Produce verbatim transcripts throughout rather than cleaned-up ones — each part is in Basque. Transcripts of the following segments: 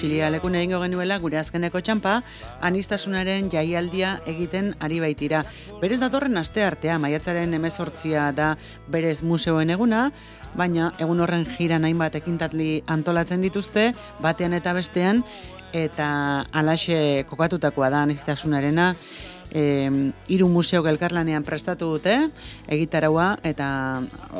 Txilialekun egingo genuela gure azkeneko txampa, anistasunaren jaialdia egiten ari baitira. Berez datorren aste artea, maiatzaren hemezortzia da berez museoen eguna, baina egun horren jiran hainbat ekintatli antolatzen dituzte, batean eta bestean, eta alaxe kokatutakoa da anistasunarena, E, hiru museok elkarlanean prestatu dute egitaraua eta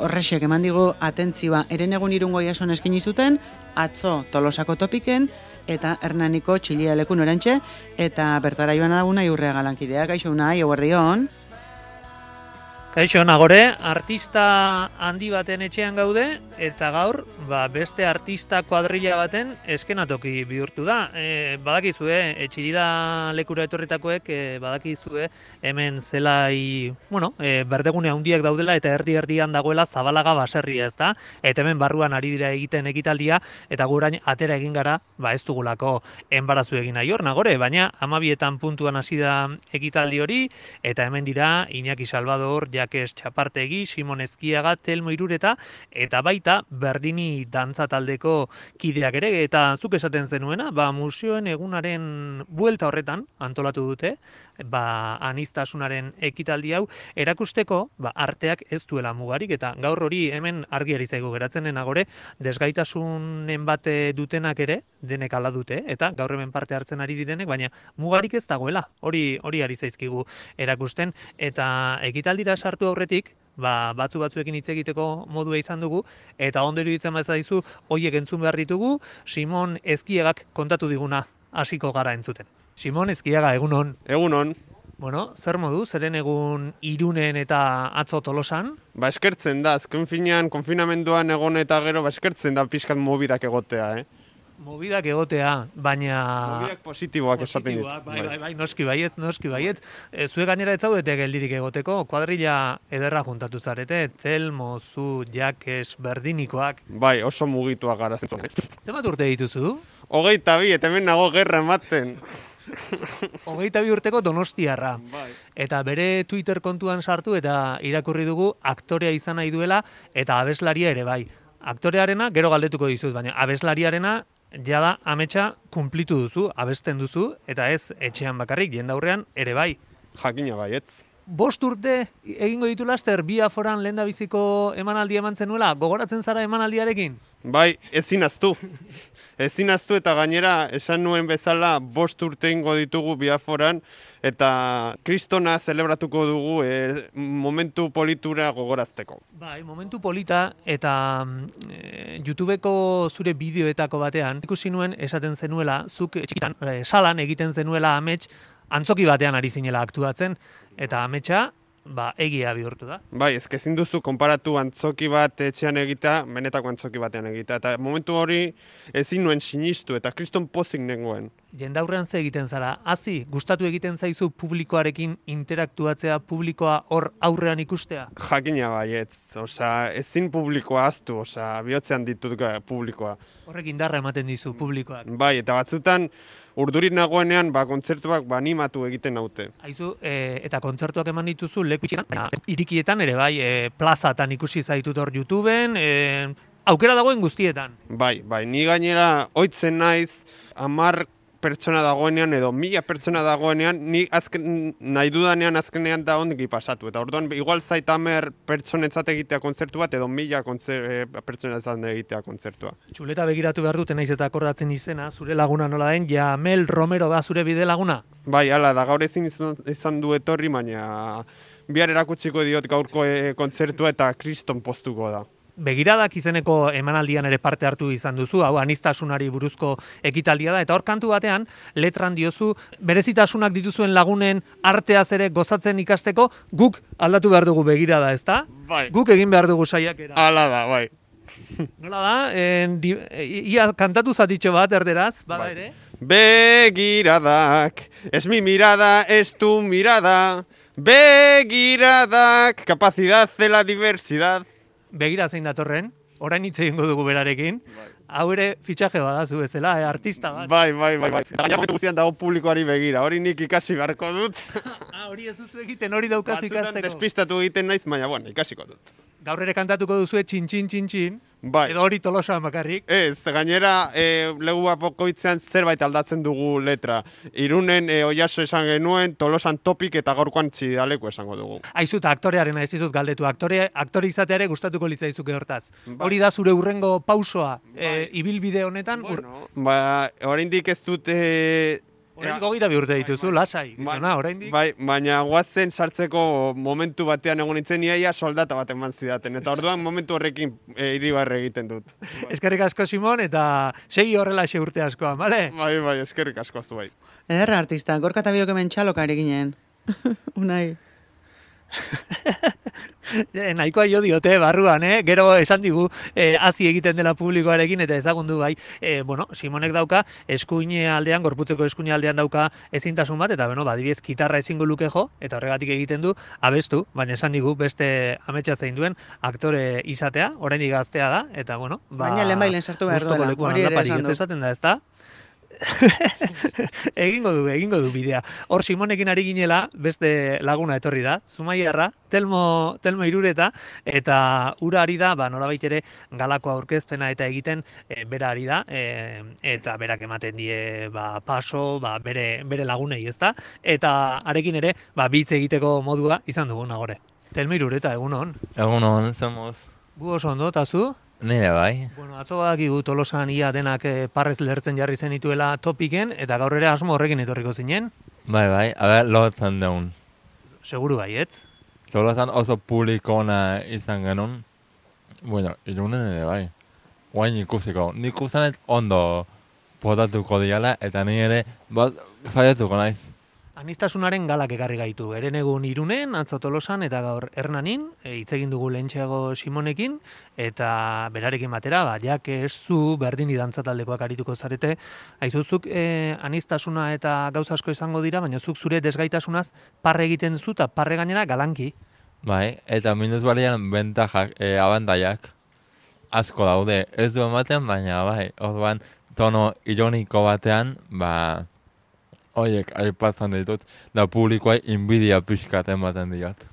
horrexek eman digu atentzioa Herenegun Irungo Iason eskaini zuten, atzo Tolosako Topiken eta Hernaniko Txilialekun orantxe eta bertara joan daguna Iurrea lankidea. Kaixo unai, eguerdion. Kaixo nagore, artista handi baten etxean gaude eta gaur ba, beste artista kuadrilla baten eskenatoki bihurtu da. E, badakizue, etxirida lekura etorritakoek e, badakizue hemen zelai, bueno, e, berdegune handiak daudela eta erdi-erdian dagoela Zabalaga baserria, ez da? Eta hemen barruan ari dira egiten ekitaldia eta gurain atera egin gara, ba ez dugulako enbarazu egin nahi hor nagore, baina hamabietan puntuan hasi da ekitaldi hori eta hemen dira Iñaki Salvador, Jakes Txapartegi, Simon Ezkiaga, Telmo Irureta, eta baita Berdini dantza taldeko kideak ere, eta zuk esaten zenuena, ba, museoen egunaren buelta horretan antolatu dute, ba, anistasunaren ekitaldi hau, erakusteko, ba, arteak ez duela mugarik, eta gaur hori hemen argiari zaigu geratzen denagore, desgaitasunen bate dutenak ere, denek ala dute, eta gaur hemen parte hartzen ari direnek, baina mugarik ez dagoela, hori hori ari zaizkigu erakusten, eta ekitaldira sartu aurretik, ba, batzu batzuekin hitz egiteko modua izan dugu, eta ondo iruditzen bazaizu, hoiek entzun behar ditugu, Simon Ezkiagak kontatu diguna hasiko gara entzuten. Simon Ezkiaga, egunon. Egunon. Bueno, zer modu, zeren egun Irunen eta atzo Tolosan? Ba, eskertzen da, azken finean, konfinamenduan egon eta gero, ba, eskertzen da pixkat mobidak egotea, eh? Mobidak egotea, baina... Mobidak positiboak esaten dit. Bai, bai, bai, noski baiet, noski baiet. E, zue gainera ez zaudete geldirik egoteko, kuadrilla ederra juntatu zarete, Telmo, zu, Jakes, Berdinikoak. Bai, oso mugituak gara zentzun. Zenbat urte dituzu? Hogeita bi, eta hemen nago gerra ematen. Hogeita bi urteko donostiarra. Bai. Eta bere Twitter kontuan sartu eta irakurri dugu aktorea izan nahi duela eta abeslaria ere bai. Aktorearena gero galdetuko dizut, baina abeslariarena jada ametsa kunplitu duzu, abesten duzu, eta ez etxean bakarrik, jendaurrean ere bai. Jakina baietz. Bost urte egingo ditu laster, bi aforan lehendabiziko emanaldia eman zenuela, gogoratzen zara emanaldiarekin? Bai, ezin aztu. Ezin aztu eta gainera esan nuen bezala bost urte ingo ditugu biaforan eta kristona zelebratuko dugu e, momentu politura gogorazteko. Bai, momentu polita eta e, YouTubeko zure bideoetako batean ikusi nuen esaten zenuela, zuk txikitan, e, salan egiten zenuela amets, antzoki batean ari zinela aktuatzen eta ametsa ba, egia bihurtu da. Bai, ezke ezin duzu konparatu antzoki bat etxean egitea, benetako antzoki batean egitea. Eta momentu hori ezin nuen sinistu eta kriston pozik nengoen. Jendaurrean ze egiten zara, hazi, gustatu egiten zaizu publikoarekin interaktuatzea, publikoa hor aurrean ikustea? Jakina baietz, osea, ezin publikoa aztu, osea, bihotzean ditut publikoa. Horrek indarra ematen dizu publikoak. Bai, eta batzutan urdurik nagoenean, ba, kontzertuak ba, animatu egiten naute. Aizu, e, eta kontzertuak eman dituzu leku itxietan, irikietan ere bai, e, plazatan ikusi zaitut hor YouTubeen, e, aukera dagoen guztietan. Bai, bai, ni gainera ohitzen naiz, hamar pertsona dagoenean edo mila pertsona dagoenean, ni azken, nahi dudanean azkenean da ondiki pasatu. Eta orduan, igual zait hamer pertsonetzat egitea kontzertu bat edo mila e, pertsonetzat egitea kontzertua. Txuleta begiratu behar dute naiz eta akordatzen izena, zure laguna nola den, Jamel Romero da zure bide laguna? Bai, hala, da gaur ezin izan du etorri, baina bihar erakutsiko diot gaurko e, kontzertua eta kriston postuko da. Begiradak izeneko emanaldian ere parte hartu izan duzu, hau anistasunari buruzko ekitaldia da, eta hor kantu batean letran diozu, berezitasunak dituzuen lagunen arteaz ere gozatzen ikasteko, guk aldatu behar dugu begirada, ezta? Bai. Guk egin behar dugu saiakera. Hala da, bai. Nola da, en, di, ia kantatu zatitxo bat erderaz, bada bai. ere? Begiradak, es mi mirada, es tu mirada, begiradak, capacidad de la diversidad. Begira zein datorren, orain hitz egingo dugu berarekin. Bai. Hau ere fitxaje badazu bezala, eh, artista bat. Bai, bai, bai, bai. Eta gaina guztian dago publikoari begira, hori nik ikasi beharko dut. ah, hori ez duzu egiten, hori daukazu ikasteko. Batzutan despistatu egiten naiz, baina bueno, ikasiko dut. Gaur ere kantatuko duzue txin, txin, txin, txin. Bai. Edo hori Tolosan bakarrik. Ez, gainera, e, legu bakoitzean zerbait aldatzen dugu letra. Irunen e, Oiaso esan genuen, Tolosan topik eta gaurkoan Txidaleku esango dugu. Aizu eta aktorearen ez izuz galdetu. Aktore, aktore izatea ere gustatuko litzaizuke hortaz. Bai. Hori da zure urrengo pausoa Bai. e, ibilbide honetan. Bueno, ba, oraindik ez dute... Oraindik hogeita bi urte dituzu, lasai. Bai, Gizona, oraindik. bai, baina guazen sartzeko momentu batean egon nintzen iaia soldata bat eman zidaten. Eta orduan momentu horrekin e, iribarre egiten dut. Eskerrik asko, Simon, eta segi horrela xe urte askoan, bale? Bai, bai, eskerrik asko zu bai. Ederra artista, gorka eta biok hemen txaloka ere ginen. Unai. E, nahikoa jo diote barruan, eh? Gero esan digu eh, hazi egiten dela publikoarekin eta ezagundu bai. Eh, bueno, Simonek dauka eskuine aldean, gorputzeko eskuine aldean dauka ezintasun bat, eta bueno, badibidez gitarra ezingo luke jo, eta horregatik egiten du abestu, baina esan digu beste ametsa zein duen aktore izatea, oraindik gaztea da, eta bueno, ba, Baina lehenbailen sartu behar gustoko duela, lekuan hori ere aldaparik esan ez du. esaten da, ezta? egingo du, egingo du bidea. Hor Simonekin ari ginela, beste laguna etorri da, Zumaiarra, Telmo, Telmo Irureta, eta ura ari da, ba, nolabait ere galako aurkezpena eta egiten e, bera ari da, e, eta berak ematen die ba, paso, ba, bere, bere lagunei, ezta? Eta arekin ere, ba, bitz egiteko modua izan dugu nagore. Telmo Irureta, egun hon. Egun hon, zemoz. Gu oso ondo, eta zu? Nire bai. Bueno, atzo badakigu Tolosan ia denak eh, parrez lertzen jarri zenituela topiken, eta gaur ere asmo horrekin etorriko zinen. Bai, bai, aber lotzen deun. Seguru baietz. Tolosan oso publikona izan genuen. Bueno, Irunen ere bai. Guain ikusiko. Nik usanet ondo potatuko diala, eta ni ere bat zaiatuko naiz. Anistasunaren galak ekarri gaitu. Eren egun Irunen, atzo Tolosan eta gaur Hernanin, e, hitz egin dugu lehentxeago Simonekin, eta berarekin batera, ba, jak ez zu berdini dantzataldekoak arituko zarete, aizuzuk e, anistasuna eta gauza asko izango dira, baina zuk zure desgaitasunaz parre egiten zu eta parre gainera galanki. Bai, eta minus balian bentajak, e, abantaiak asko daude. Ez du ematen, baina bai, orduan tono ironiko batean, ba... Oiek, aipatzen ditut, da publikoa inbidia pixkat ematen diot.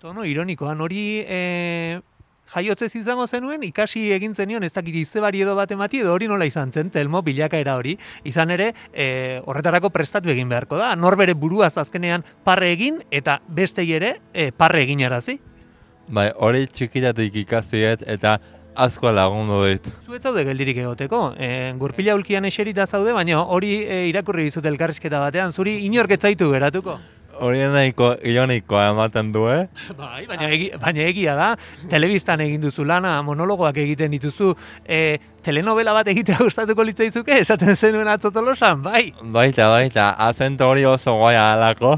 Tono ironikoan, hori e, jaiotzez izango zenuen, ikasi egin zenion, ez dakit izebari edo bat emati, edo hori nola izan zen, Telmo, bilakaera hori. Izan ere, e, horretarako prestatu egin beharko da. Norbere buruaz azkenean parre egin, eta bestei ere e, parre egin arazi. Bai, hori txikitatik ikasiet eta asko lagundu dit. Zuet zaude geldirik egoteko. E, gurpila ulkian eserita zaude, baina hori e, irakurri dizut elkarrizketa batean, zuri inork ez zaitu geratuko. Hori nahiko ironikoa ematen du, eh? Bai, baina, egi, baina egia da, telebistan egin duzu lana, monologoak egiten dituzu, e, telenovela bat egitea gustatuko litzaizuke, esaten zenuen atzo Tolosan, bai? Baita, baita, acento hori oso goia alako.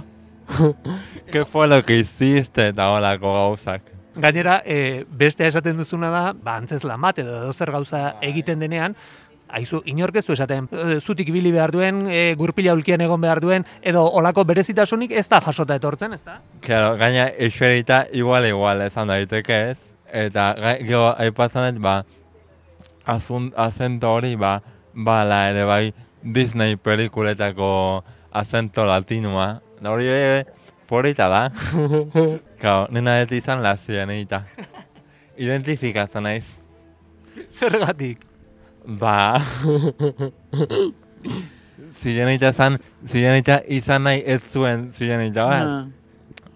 ¿Qué fue lo que hiciste eta olako gauzak? Gainera, e, bestea esaten duzuna da, ba, antzeslan bat edo edozer gauza egiten denean, aizu, inorkezu esaten, e, zutik ibili behar duen, e, gurpila ulkian egon behar duen, edo olako berezitasunik ez da jasota etortzen, ez da? Claro, gaina eserita igual igual esan daiteke ez. Eta gero aipatzen ba, azun, azento hori, ba, bala ere bai Disney pelikuletako azento latinua. Da hori ere, polita da. Claro, nena ez izan lazienita. Identifikatzen naiz. Zergatik? Ba... zirenita zan, zirenita izan nahi ez zuen zirenita bat. Ah.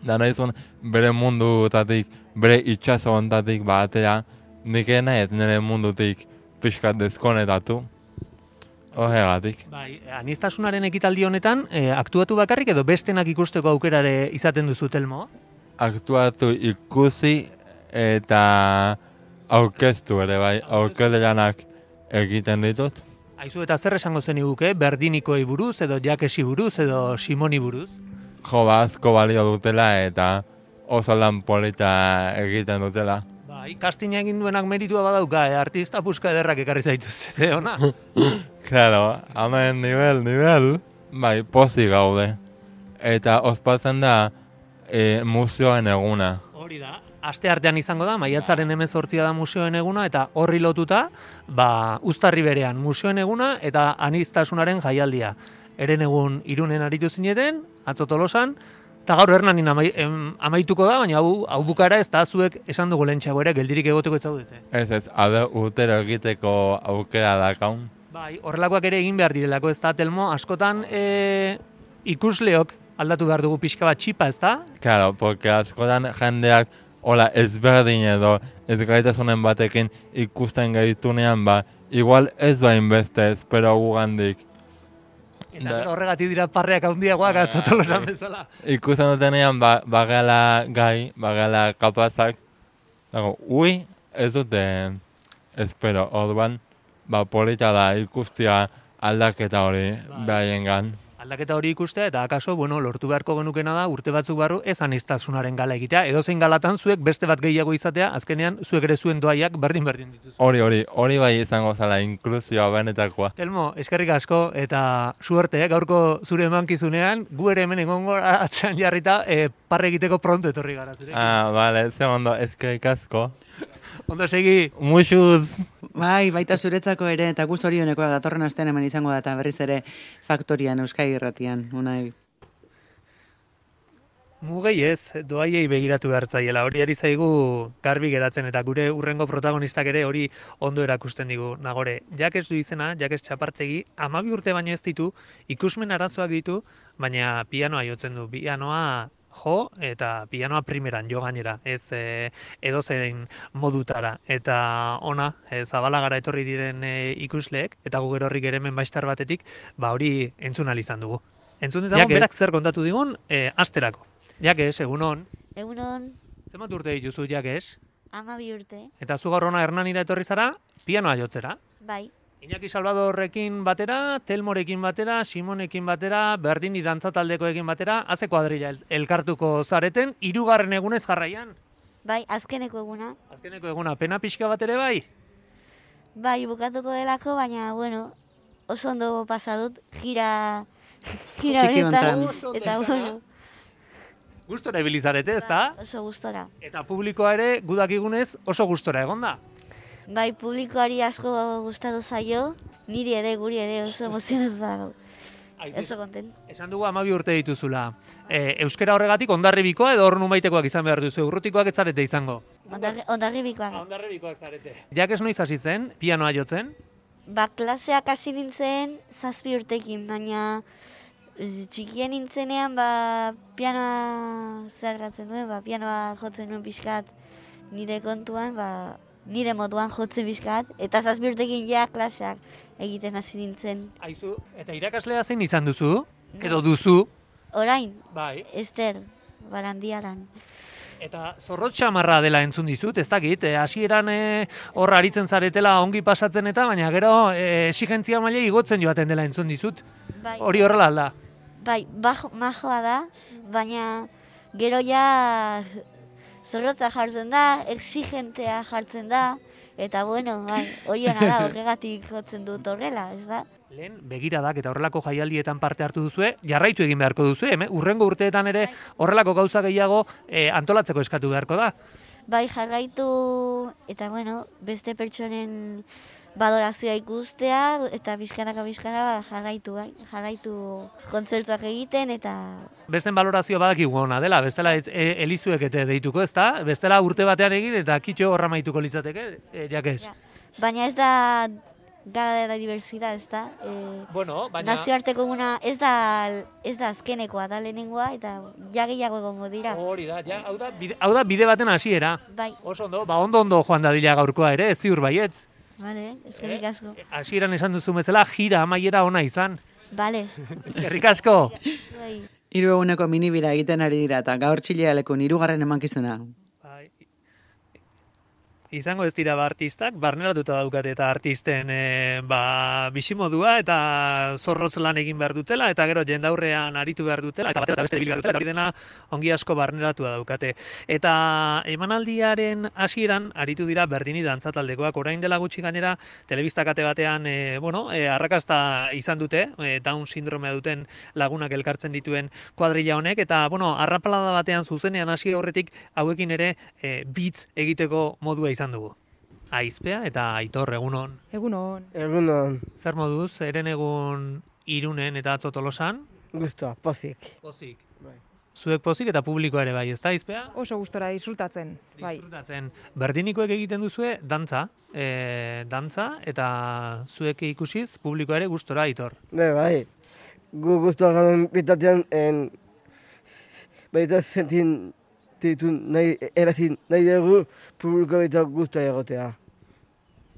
Da nahi zuen bere mundutatik, bere itxaso ontatik batera, nik nahi ez nire mundutik pixkat deskonetatu. Horregatik. Bai, anistasunaren ekitaldi honetan, e, aktuatu bakarrik edo bestenak ikusteko aukerare izaten duzu, Telmo? Aktuatu ikusi eta aurkeztu ere bai, aurkezlanak egiten ditut. Aizu eta zer esango zeniguke, berdinikoei buruz, edo jakesi buruz, edo Simoni buruz? Jo, ba, asko balio dutela eta oso lan polita egiten dutela. Bai, castinga egin duenak meritua badauka, eh? Artista puska ederrak ekarri zaituzte, ona? Claro, hemen nivel, nivel. Bai, pozik gaude. Eta ospatzen da e, museoen eguna. Hori da. Aste artean izango da, maiatzaren hemezortzia da museoen eguna, eta horri lotuta, ba, uztarri berean museoen eguna eta anistasunaren jaialdia. Eren egun Irunen aritu zineten, atzo Tolosan, Eta gaur Hernanin amai, em, amaituko da, baina hau, hau bukara ez da zuek esan dugu lehentxeago ere, geldirik egoteko ez zaudete. Ez ez, hau urtero egiteko aukera dakaun. Bai, horrelakoak ere egin behar direlako, ez da, Telmo, askotan e, ikusleok aldatu behar dugu pixka bat txipa, ez da? Claro, porque askotan jendeak hola ezberdin edo ez gaitasunen batekin ikusten gaitunean, ba, igual ez bain beste espero gugandik. Eta da, horregatik dira parreak handiagoak atzotolosan bezala. Ikusten dutenean, ba, bagala gai, bagala kapazak, dago, ui, ez dute espero, orduan, ba, polita da ikustia aldaketa hori behaien. Aldaketa hori ikustea, eta akaso, bueno, lortu beharko genukena da, urte batzuk barru, ez aniztasunaren gala egitea. Edozein galatan zuek beste bat gehiago izatea, azkenean zuek ere zuen doaiak berdin-berdin dituzu. Hori, hori, hori bai izango zala inklusioa benetakoa. Telmo, eskerrik asko, eta suerte, eh? Gaurko zure emankizunean, gu ere hemen egongo atzean jarrita, eh, parre egiteko pronto etorri gara zure. Ah, bale, ze ondo, eskerrik asko. Ondo segi. Muxuz. Bai, baita zuretzako ere, eta guz orionekoa datorren astean hemen izango da, eta berriz ere faktorian, Euskai Irratian, unai. Mugei ez, doaiei begiratu behartzaiela, hori ari zaigu garbi geratzen, eta gure urrengo protagonistak ere hori ondo erakusten digu. Nagore, Jakes du izena, Jakes Txapartegi, amabi urte baino ez ditu, ikusmen arazoak ditu, baina pianoa jotzen du, pianoa jo, eta pianoa primeran jo gainera, ez e, edozein modutara. Eta ona, e, Zabalagara etorri diren e, ikusleek, eta gu gero horrik ere hemen baistar batetik, ba hori entzun ahal izan dugu. Entzun dezagun, berak zer kontatu digun, e, asterako. Jakes, egunon. Egunon. Zenbat urte dituzu, Jakes? Amabi urte. Eta zu gaur hona Hernanira etorri zara, pianoa jotzera. Bai. Iñaki Salvadorrekin batera, Telmorekin batera, Simonekin batera, Berdini dantza taldekoekin batera, haze kuadrilla el, elkartuko zareten, hirugarren egunez jarraian. Bai, azkeneko eguna. Azkeneko eguna, pena pixka bat ere bai? Bai, bukatuko delako, baina, bueno, oso ondo pasadut, gira, gira honetan, eta bueno. Gustora ibilizarete, ez da? Bai, oso gustora. Eta publikoa ere, gudakigunez, oso gustora egon da. Bai, publikoari asko gustatu zaio, niri ere, guri ere oso emozionatu dago. Oso kontent. Esan dugu amabi urte dituzula. E, euskera horregatik ondarribikoa edo hor numaitekoak izan behar duzu, urrutikoak ez zarete izango? Ondarribikoak. Ondarribikoak zarete. Jakes noiz hasi zen, pianoa jotzen? Ba, klaseak hasi nintzen zazpi urtekin, baina txikien nintzenean, ba, pianoa zergatzen nuen, ba, pianoa jotzen nuen pixkat nire kontuan, ba, nire moduan jotzen bizkat, eta zazpi urtekin ja klaseak egiten hasi nintzen. Aizu, eta irakaslea zein izan duzu? Edo duzu? Orain, bai. Ester, Barandiaran. Eta zorrotz xamarra dela entzun dizut, ez dakit, hasieran e, horra aritzen zaretela ongi pasatzen eta, baina gero e, exigentzia maila igotzen joaten dela entzun dizut. Bai. Hori horrela alda? Bai, bajo, majoa da, baina gero ja zorrotza jartzen da, exigentea jartzen da, eta bueno, bai, hori ona da, horregatik jotzen dut horrela, ez da? Lehen, begiradak eta horrelako jaialdietan parte hartu duzue, jarraitu egin beharko duzue, eh? Urrengo urteetan ere horrelako gauza gehiago eh, antolatzeko eskatu beharko da. Bai, jarraitu, eta bueno, beste pertsonen badorazioa ikustea, eta bizkanaka bizkana ba, jarraitu, bai, jarraitu kontzertuak egiten, eta... Besten balorazio badakigu ona dela, bestela e, elizuek ete deituko, ez da? Bestela urte batean egin eta kitxo horra maituko litzateke, e, Jakes. Ja. Baina ez da Gala de la Diversidad, ez da? E, bueno, baina... Nazioarteko eguna ez da, ez da azkenekoa, da lehenengoa, eta ja gehiago egongo dira. Hori da, ja, hau da, bide, hau da bide baten hasiera. Bai. Oso ondo, ba ondo ondo joan dadila gaurkoa ere, ez ziur baietz. Vale, eskerrik asko. Eh, hasieran esan duzu bezala, gira amaiera ona izan. Vale. Eskerrik asko. Hiru eguneko minibira egiten ari dira, eta gaur Txilealekun hirugarren emankizuna. Izango ez dira ba artistak, barneratuta daukate eta artisten e, ba, bisimodua eta zorrotz lan egin behar dutela, eta gero jendaurrean aritu behar dutela, eta batera beste bilgar dutela, eta hori dena ongi asko barneratua daukate. Eta emanaldiaren hasieran aritu dira Berdini dantza taldekoak, orain dela gutxi gainera, telebista kate batean, e, bueno, e, arrakasta izan dute, e, Down sindromea duten lagunak elkartzen dituen kuadrilla honek, eta, bueno, arrapalada batean zuzenean hasi aurretik hauekin ere e, beats egiteko modua izan dugu. Aizpea eta Aitor, egunon. Egunon. Egunon. Zer moduz, eren egun Irunen eta atzo Tolosan? Gustoa, pozik. Pozik. Bai. zuek pozik eta publikoa ere bai, ez da, izpea? Oso gustora disfrutatzen, bai. Disfrutatzen. Berdinikoek egiten duzue dantza, e, dantza, eta zuek ikusiz publikoa ere gustora, Aitor. Be, bai, gu gustora gauden bitatean, en, baita sentin ditu nahi, erazin nahi dugu publiko baita gustora egotea.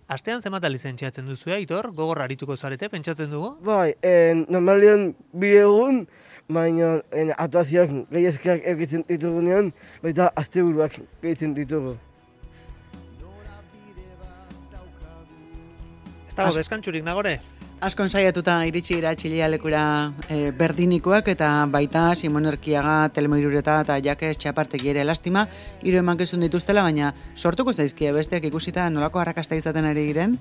Astean zenbat lizentziatzen duzue, Aitor? Gogor arituko zarete, pentsatzen dugu? Bai, en, normalian bi egun, baina en, atuazioak gehiazkak egitzen ditugunean, baita asteburuak gehitzen ditugu. Ez dago deskantxurik, Nagore? Askon saiatuta iritsi dira txilialekura e, berdinikoak eta baita Simon Erkiaga, Telmo Irureta eta Jakes Txapartegi ere lastima, hiru emankizun dituztela, baina sortuko zaizkie besteak ikusita nolako arrakasta izaten ari diren.